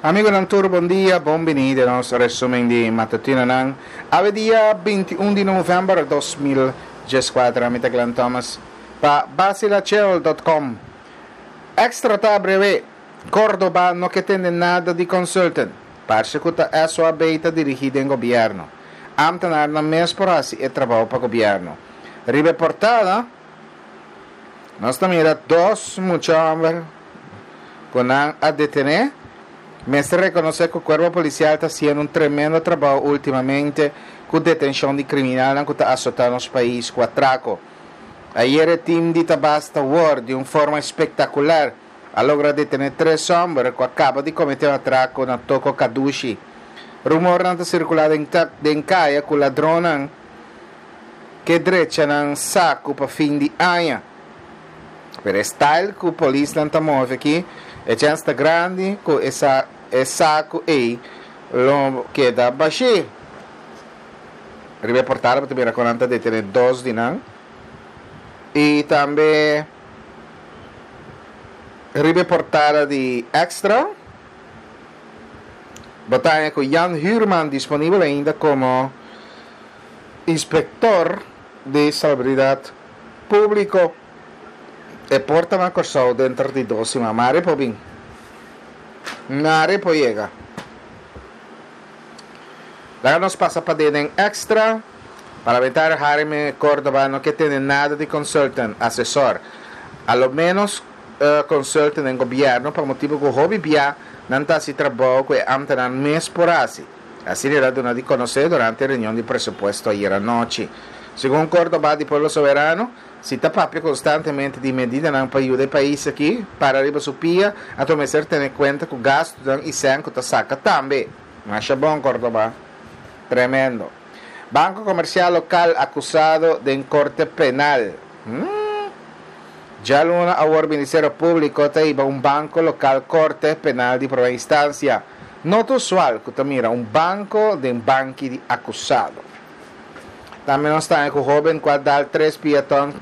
Amigonan tur bon dia, bon bini den nos resumen di matutinonan. Awe dia 21 di november 2014, ami ta Glenn Thomas pa basilachel.com. Extra ta breve, Cordoba no ke tende nada di consultant. Parce ku ta SOAB ta dirigi den gobierno. Ambtenaarnan mes por hasi e trabou pa gobierno. Riba e portada, nos ta mira dos mucha homber ku nan a detené. Mester rekonosé ku Kuerpo Polisial ta hasiendo un tremendo trabou últimamente ku detenshon di kriminalnan ku ta asotá nos pais ku atrako. Ayer e tim di Tabasta War di un forma espektakular a logra detené tres hòmber ku a kaba di kometé un atrako na Toko Kadushi. Rumornan ta sirkulá den den kaya ku ladronnan ke drecha nan saku pa fin di aña. Pero e style ku polisnan ta move aki, e chèns ta grandi ku e sa e saku ei lo keda bashí. Riba e portada bo ta mira kon nan ta detené dos di nan. I tambe riba e portada di Extra bo ta haña ku Jan Huurman disponibel ainda komo inspektor di Salubridat Públiko. E por ta na Kòrsou denter di dos siman. Mari por bin. Mari por yega. Laga nos pasa pa den Extra. Parlamentario Harry Córdoba no ke tende nada di consultant, asesor. A lo menos consultant den gobierno pa motibo cu hopi bia nan ta haci trabou cu e ambtenaar mes por haci. Asina el a duna di conoce durante e reunion di presupuesto ayer anochi. Segun Córdoba di Pueblo Soberano, si ta papia constantemente di medidanan pa yuda e pais aki para riba su pia, anto mester tene cuenta cu gastonan y cen cu ta saca tambe. Masha bon Córdoba. Tremendo. Banco Comercial Local acusado den Corte Penal. Hmm. Djaluna awor Ministerio Publico ta hiba un banco local Corte Penal di Prome Instancia. No ta usual cu ta mira un banco den banki di acusado. Tambe nos ta haña cu hoben cu a dal tres piaton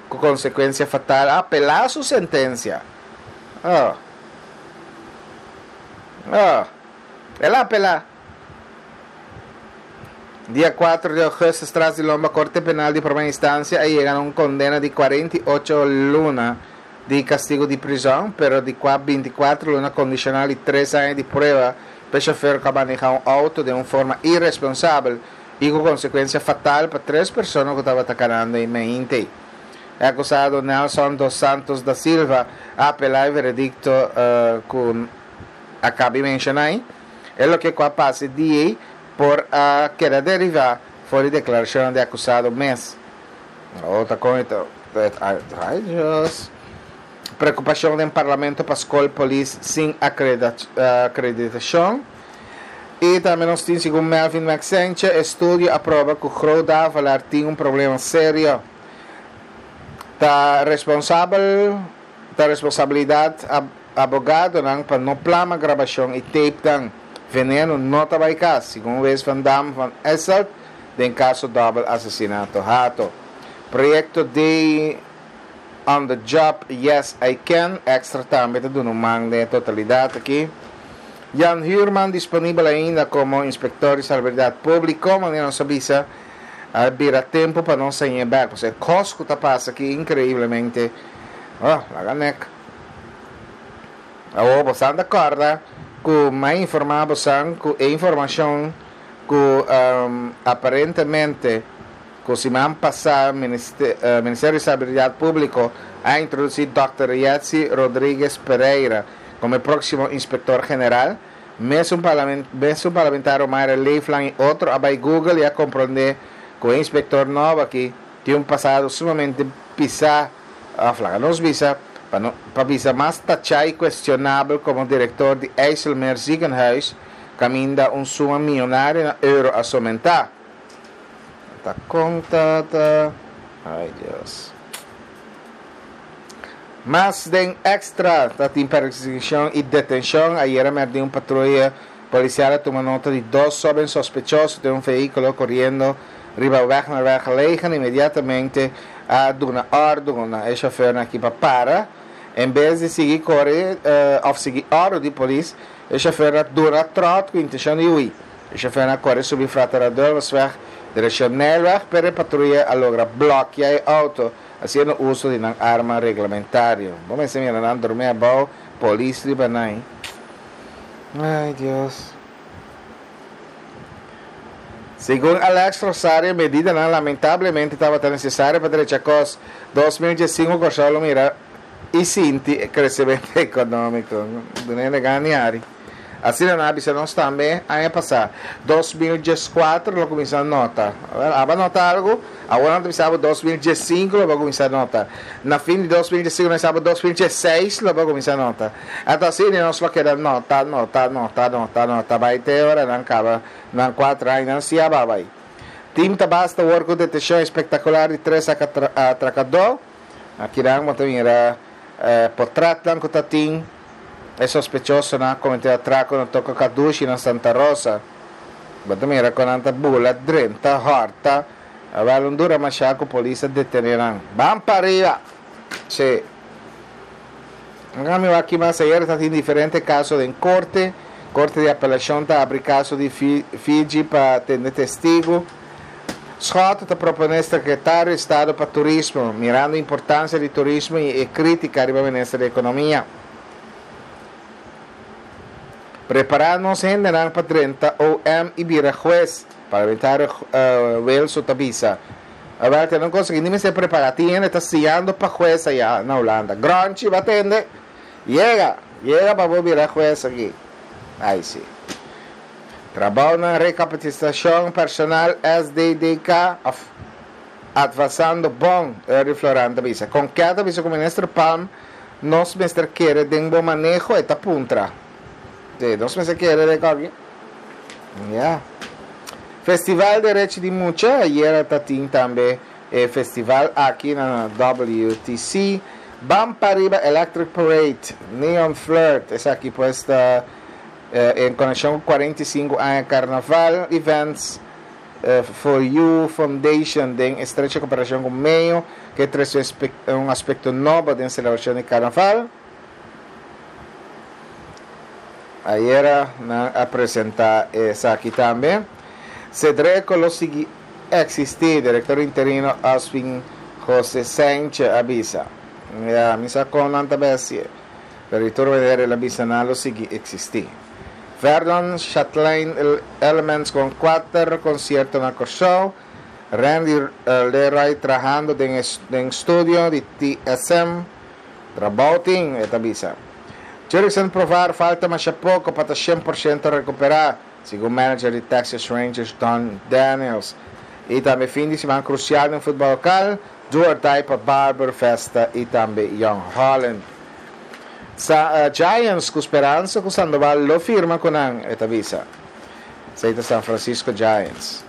cu consecuencia fatal a apela su sentencia. Oh. Oh. El a apela. Dia 4 di augustus tras di lomba Corte Penal di Prome Instancia a yega na un condena di 48 luna di castigo di prison, pero di cua 24 luna condicional y 3 aña di prueba pa e chofer cu a maneha un auto den un forma irresponsabel y cu consecuencia fatal pa tres persona cu tabata canando e meinte. E acusado Nelson dos Santos da Silva a apela e veredicto cu a caba di menciona ey. E loke cu a pasa e dia ey por a keda deriva for di declaracionnan di e acusado mes. Oh, ta con e ta, ay Dios. Preocupacion den Parlamento pa scol polis sin acreditacion. Y tambe nos tin segun Melvin Maxenche, estudio a proba cu Groot Davelaar tin un problema serio. Ta responsabel, ta responsabilidad abogadonan pa no plama grabacion y tapenan. Veneno no ta bay cas, segun Wes van Dam van Esselt den caso dobbel asesinato Hato. Proyecto Day on the Job Yes I Can extra tambe ta duna un man den e totalidad aki. Jan Huurman disponibel ainda como Inspector di Salubridad Publico, manera nos a bisa a bira tempo pa nos hañ'e bek, pasobra e cos cu ta pasa aki increiblemente, oh, laga nek. Awor bosan ta corda cu m'a informa bosan cu e informacion cu aparentemente cu siman pasa Ministerio di Salubridad Publico a introduci Dòkter Yetsi Rodriguez Pereira como e proximo Inspector General, mesun mesun parlamentario Mayra Leeflang y otro a bay Google y a compronde cu e inspector nobo aki tin un pasado sumamente pisa, of laga nos bisa, pa no pa bisa mas tacha y cuestionabel como director di IJsselmeer Ziekenhuis, caminda un suma miyonario na euro a somenta. Ta con ta ta. Ay Dios. Mas den extra ta tin persiguicion y detencion. Ayera merdi un patruya policial a tuma nota di dos hoben sospechoso den un vehiculo coriendo riba weg naar Wergelegen. Inmediatamente a duna ordo na e chofernan aki pa para. En bes di sigui kore òf sigui òrdu di polis, e shofèr a duna tròt ku intenshon di hui. E shofèrnan a kore subi Frater Adolfusweg direkshon Nijlweg, pero e patruya a logra blòkia e outo hasiendo uso di nan arma reglamentario. Bo mester mira nan drumi abou, polis riba nan. Ay Dios. Segun Alex Rosario medidanan lamentablemente tabata necesario pa drecha cos. 2015 Corsou lo mira y sinti e crecemento economico. Dun'e gana hari. Asina nan a bisa nos tambe aña pasá. 2014 lo kuminsá nota. Aba nota algu? Awor nan ta bisa bo 2015 lo bo kuminsá nota. Na fin di 2015 nan bisa bo 2016 lo bo kuminsá nota. Anto asina nos lo keda nota, nota, nota, nota, nota bai te ora nan kaba nan kuater aña nan si a bai. Tim ta basta awor ku detenshon espektakular di tres atrakadó. Akinan bo ta mira potretnan ku ta tin. E sospechosonan a kometé atrako na Toko Kadushi na Santa Rosa. Bo ta mira kon nan ta bula, drenta, hòrta. Awèl un dura mashá ku polis a detené nan. Ban pa riba! Sí. Nan mi wak ki mas ayer ta tin diferente kaso den korte. Korte di apelashon ta abri kaso di Fiji pa tende testigu. Schotte ta proponé Sekretario di Estado pa Turismo, mirando importansia di turismo i e krítika riba Minister di Ekonomia. Prepará nos hendenan pa drenta OM i bira hues, Parlamentario Wilson ta bisa. Awèl te no konsegui ni mester prepará, tin hende ta siñando pa hues ayá na Hulanda. Gronchi bo a tende? Yega! Yega pa bo bira hues aki. Ai si. Trabounan Rekapasitashon Personal, SDDK, of Advasando Bon, Erdy Floran ta bisa. Kon ke ta bisa ku Minister Palm nos mester kere den bo maneho? E ta puntra. Sí, nos mester kere den koki. Ya. Festival Derechi di Mucha, ayera ta tin tambe e festival aki na WTC. Ban Pariba Electric Parade, Neon Flirt, esaki pues ta En konekshon ku 45 aña Karnaval Events for You Foundation den estrecho koperashon ku Meyo ke trese un aspekto nobo den selebrashon di Karnaval. Ayera nan a presenta esaki tambe. Sedreko lo sigui eksistí, direktor interino Oswin Jose Sanchez a bisa. Ya, mi sa kon nan ta bai hasié. Pero di tur manera el a bisa nan lo sigui eksistí. Verdon Chatelain Elements kon kuater konsierto na Kòrsou. Randy Leroy trahando den den studio di TSM. Trabou tin, e ta bisa. Jurickson Profar falta masha poko pa ta 100% rekuperá, segun manager di Texas Rangers Don Daniels. I tambe fin di siman krusial den futbòl lokal, Do or die pa Barber, Vesta i tambe Jong Holland. Sa Giants ku speransa ku Sandoval lo firma ku nan, e ta bisa. Esei ta San Francisco Giants.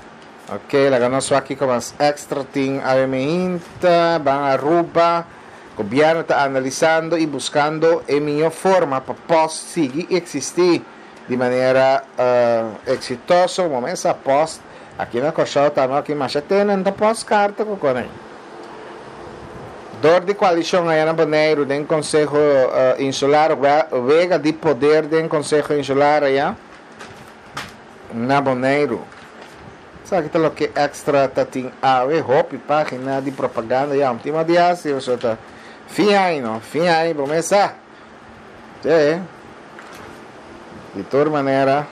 Ok, laga nos wak kiko mas extra tin awe mehinta. Ban Aruba. Gobièrnu ta analisando i buskando e mihó forma pa post sigui eksistí di manera eksitoso. Momen sa post aki na Kòrsou tambe aki masha tenen ta post karta ku konen. Dor di koalishon aya na Boneiru den Konseho Insular wega di poder den Konseho Insular aya na Boneiru. Esaki ta loke Extra ta tin awe, hopi pagina di propaganda ya un tin mas di hasi pasobra ta fin aña no, fin aña bo mes sa. Sí. Di tur manera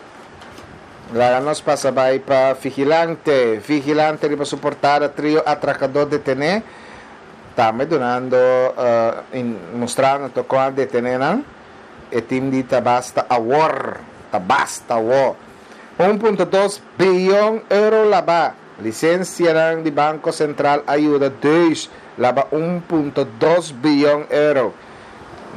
laga nos pasa bai pa Vigilante. Vigilante riba su portada trio atrakadó detené. Tambe dunando mustrando tokon a detené nan. E tim di ta basta awor. Ta basta awor. 1.2 biyon euro laba. Lisensianan di Banko Sentral a yuda Deus laba 1.2 biyon euro.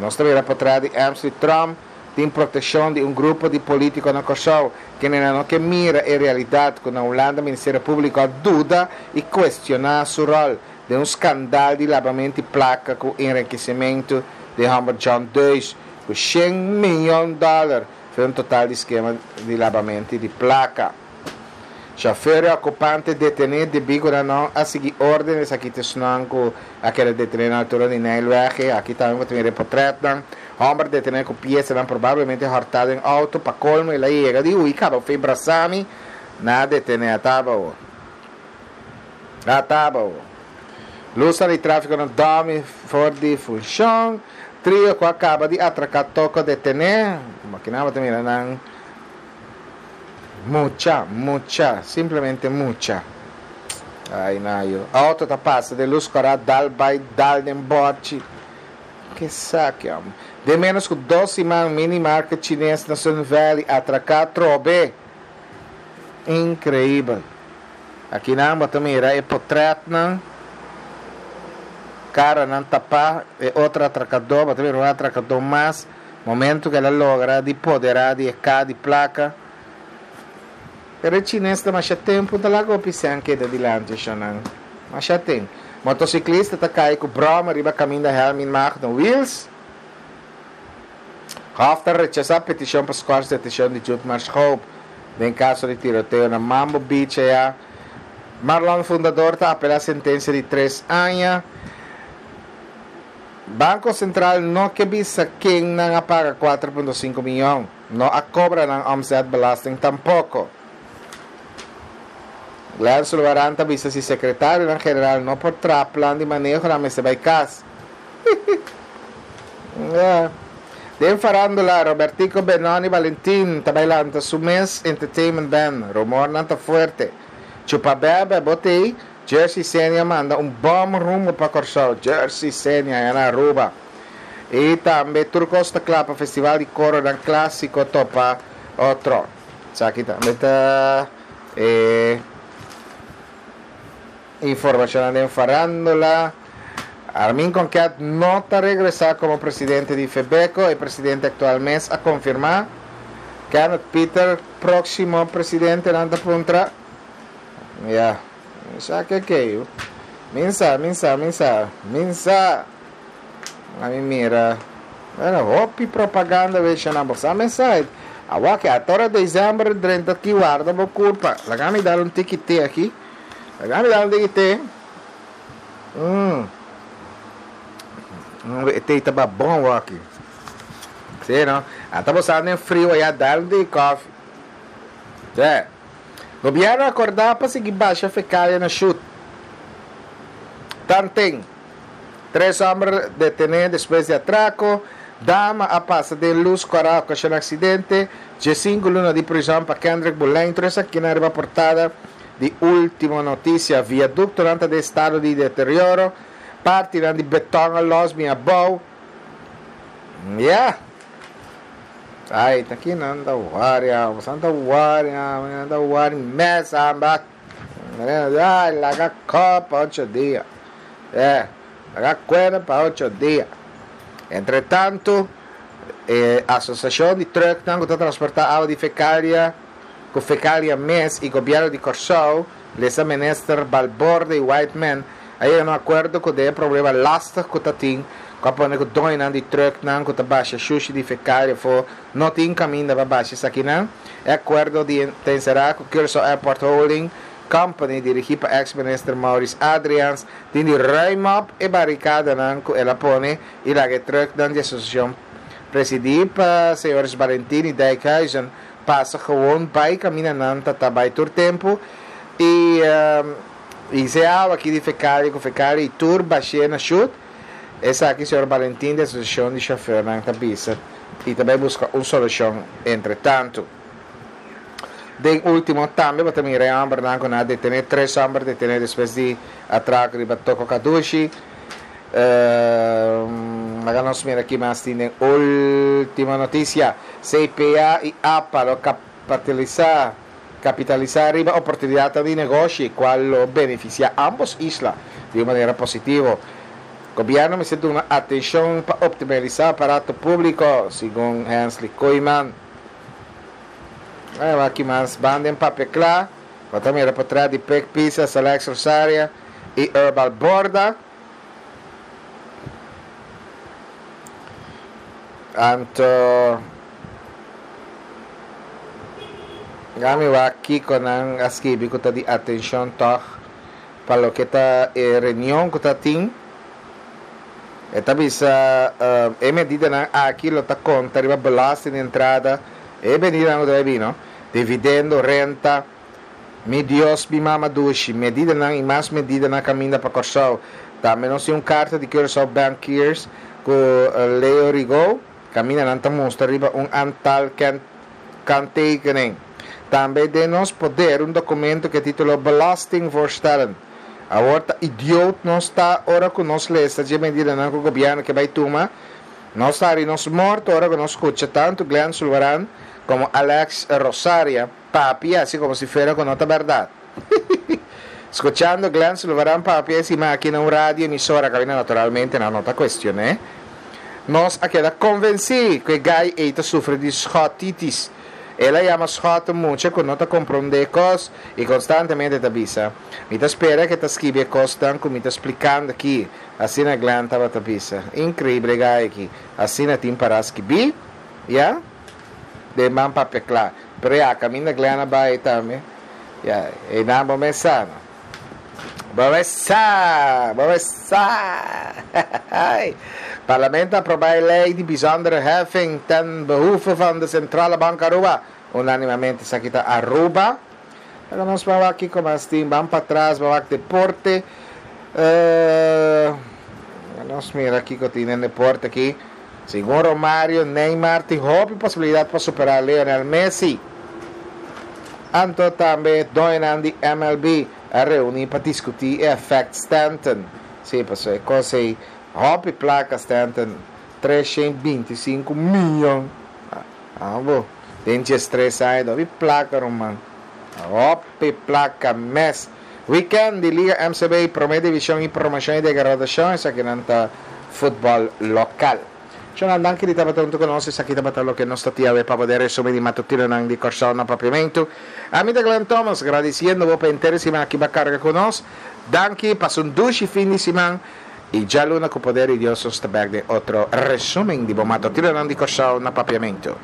Nos ta mira potret di Emsley Trump tin protekshon di un grupo di polítiko na Kòrsou, kendenan no ke mira e realidat ku na Hulanda Ministerio Públiko a duda i kuestioná su ròl den un skandal di labamento di plaka ku enrikesimentu di hòmber John Deus ku shen miyon dòler. Fe un total di skema di labamento di plaka. Chauffeur y ocupante detene debi cu nan no a sigui orden, esaki ta esnan cu a keda detene na altura di Nijlweg. Aki tambe bo ta mira e potretnan. Homber detene cu piesanan probablemente horta den auto. Pa colmo el a yega di huy caba fe brasami. Nan a detene atabao. Atabao. Lusnan di trafico na Domi for di funcion. Trio cu a caba di atraca toko detene. Aki nan bo ta mira nan. Mucha, mucha, simplemente mucha. Ay nayo. Auto ta pasa den luz kora dal bay dal den borchi. Ke saki hombre. Den menos ku dos siman mini market chines na Sun Valley atraká trobe. Increibel. Aki nan bo ta mira e potretnan. Karanan tapá. E otro atrakadó, bo ta mira un atrakadó mas. Momento ku el a logra di poderá di e ka di plaka. Pero e chines ta masha tempu ta laga hopi sèn keda dilanti shonnan. Masha ten. Motosiklista ta kai ku bròma riba kaminda Helmin Magno Wiels. Hof ta rechasá petishon pa skòrs detenshon di Judmar Schoop den kaso di tiroteo na Mambo Beach aya. Marlon Fundador ta apelá sentensia di tres aña. Banco Central no ke bisa ken nan a paga 4.5 miyon. No a cobra nan omzetbelasting tampoco. Glenn Sulvaran ta bisa si secretarionan general no por traha plan di maneho nan mester bay cas. Yeah. Den farandula, Robertico Benoni Valentin ta bay lanta su mes entertainment band. Rumornan ta fuerte. Chupa bebe, bo t'ey? Jersey Senia manda un bom rumbo pa Kòrsou. Jersey Senia ya na Aruba. I tambe tur kos ta kla pa festival di koronan klásiko topa otro. Esaki tambe ta e informashonnan den farándula. Armin Konket no ta regresá komo presidente di Febeko, e presidente aktual mes a konfirmá. Kenneth Pieter próksimo presidentenan ta puntra. Ya, mi sa ke ke. Min sa, min sa, min sa, min sa. A mi mira. Bueno, hopi propaganda we shana bo sa me sa. Awa ke atora december drenta ki warda bo kurpa. Laga mi dar un tiki te aki. Laga mi dar un tiki te. E te ta ba bon waki. Sí, no? Ata bo sa den frio ya dar un tiki koffie. Sí. Gobierno a acorda pa sigui basha fecalia na Shut. Tanten, tres homber detene despues di atraco, dama a pasa den luz cora a ocasiona accidente, 15 luna di prison pa Kendrick Boleyn, tur esakinan riba portada di Ultimo Noticia. Viaductonan ta den estado di deterioro, partinan di beton a los bin abou. Ya. Ay, ta ki nan ta waria, bosan ta waria, nan ta wari mes amba. Ay, laga kop pa ocho dia. Eh, laga kuena pa ocho dia. Entre tanto, e asosiashon di trucknan ku ta transportá awa di fekalia, ku fekalia mes i gobièrnu di Kòrsou, lesa minister Balborde i Whiteman, A yega na un akuerdo ku den e problema lastig ku ta tin ku a pone ku doñonan di trùknan ku ta basha shushi di fekalia afó no tin kaminda pa basha esakinan. E akuerdo di ta enserá ku Curaçao Airport Holding Company dirigí pa eks minister Maurice Adriaans tin di ruim op e barikadanan ku el a pone i laga e trùknan di asosiashon presidí pa señores Balentin i Dijkhuizen pasa gewon bai kaminda nan ta ta bai tur tempu i I se awa aki di fekalia ku fekalia i tur bashé na shut, esaki señor Balentin di Asosiashon di Shofèrnan ta bisa i ta bai buska un solushon entretantu. Den último tambe bo ta mira e hòmbernan ku nan a detené, tres hòmber detené despues di atrako riba Toko Kadushi. Laga nos mira ki mas tin den último notisia. CPA i apa lo kapitalisá. Kapitalisá riba oportunidatnan di negoshi kual lo benefisiá ámbos isla di un manera positivo. Gobièrnu mester duna atenshon pa optimalisá aparato públiko, segun Hensley Koeiman. Ai wak ki mas ban den papia kla, bo ta mira potrèt di Pik Pisa, Salex Rosaria i Herbal Borda. Anto. Gami wak kiko nan a skibi ku ta di atenshon tòg pa loke ta e reunion ku ta tin. E ta bisa e medidanan aki lo ta konta riba belasting di entrada, e medidanan ku ta bai bini, dividendo, renta, mi Dios mi mama dushi, medidanan i mas medidanan kaminda pa Kòrsou. Tambe nos tin un karta di Curaçao Bankiers ku Leo Rigaud. Kaminda nan ta mustra riba un antal kanttekening. Tambe den nos poder un dokumento ku e titulo Belastingvoorstellen. Awor ta idioot nos ta ora ku nos lesa dje medidanan ku gobièrnu ke bai tuma. Nos ta hari nos morto ora ku nos skucha tantu Glenn Sulvaran komo Alex Rosaria papia hasi komo si fuera ku no ta bèrdat. Skuchando Glenn Sulvaran papia e siman aki na un radio emisora kaminda naturalmente nan no ta kuestion'é, nos a keda konvensí ku e gai ei ta sufri di schotitis. El a yama schot un mucha ku no ta komprondé kos i konstantemente ta bisa, Mi ta spera ku e ta skibi e kosnan ku mi ta splikando aki. Asina Glenn tabata bisa. Inkreibel e gai aki. Asina tin pará skibí, ya? Den man papia kla. Pero ya, kaminda Glenn a bai tambe. Ya, einan bo mes sa no. Bo mes sa, bo mes sa. Parlamento a aproba e ley di bijzondere heffing ten behoeve van de Centrale Bank Aruba. Unanimamente esaki ta Aruba. Pero nos ban wak kiko mas tin. Ban patras, ban wak deporte. Nos mira kiko tin den deporte aki. Segun Romario, Neymar tin hopi posibilidat pa superá Lionel Messi. Anto tambe doñonan di MLB a reuní pa diskutí e efèkt Stanton. Sí, pasobra e kos ei hopi plaka Stanton, 325 miyon. Abo, den 13 aña hopi plaka ruman. Hopi plaka mes. Weekend di Liga MCB, Prome Divishon i Promoshon i Degradashon, esakinan ta futbòl lokal. Shonal, danki di tabata huntu ku nos. Esaki tabata loke nos ta tin awe pa bo den resumen di matutinonan di Kòrsou na Papiamentu. Ami ta Glenn Thomas, gradisiendo bo pa henter e siman aki bo a karga ku nos. Danki, pasa un dushi fin di siman i djaluna ku poder di Dios nos ta bèk den otro resumen di bo matutinonan di Kòrsou na Papiamentu.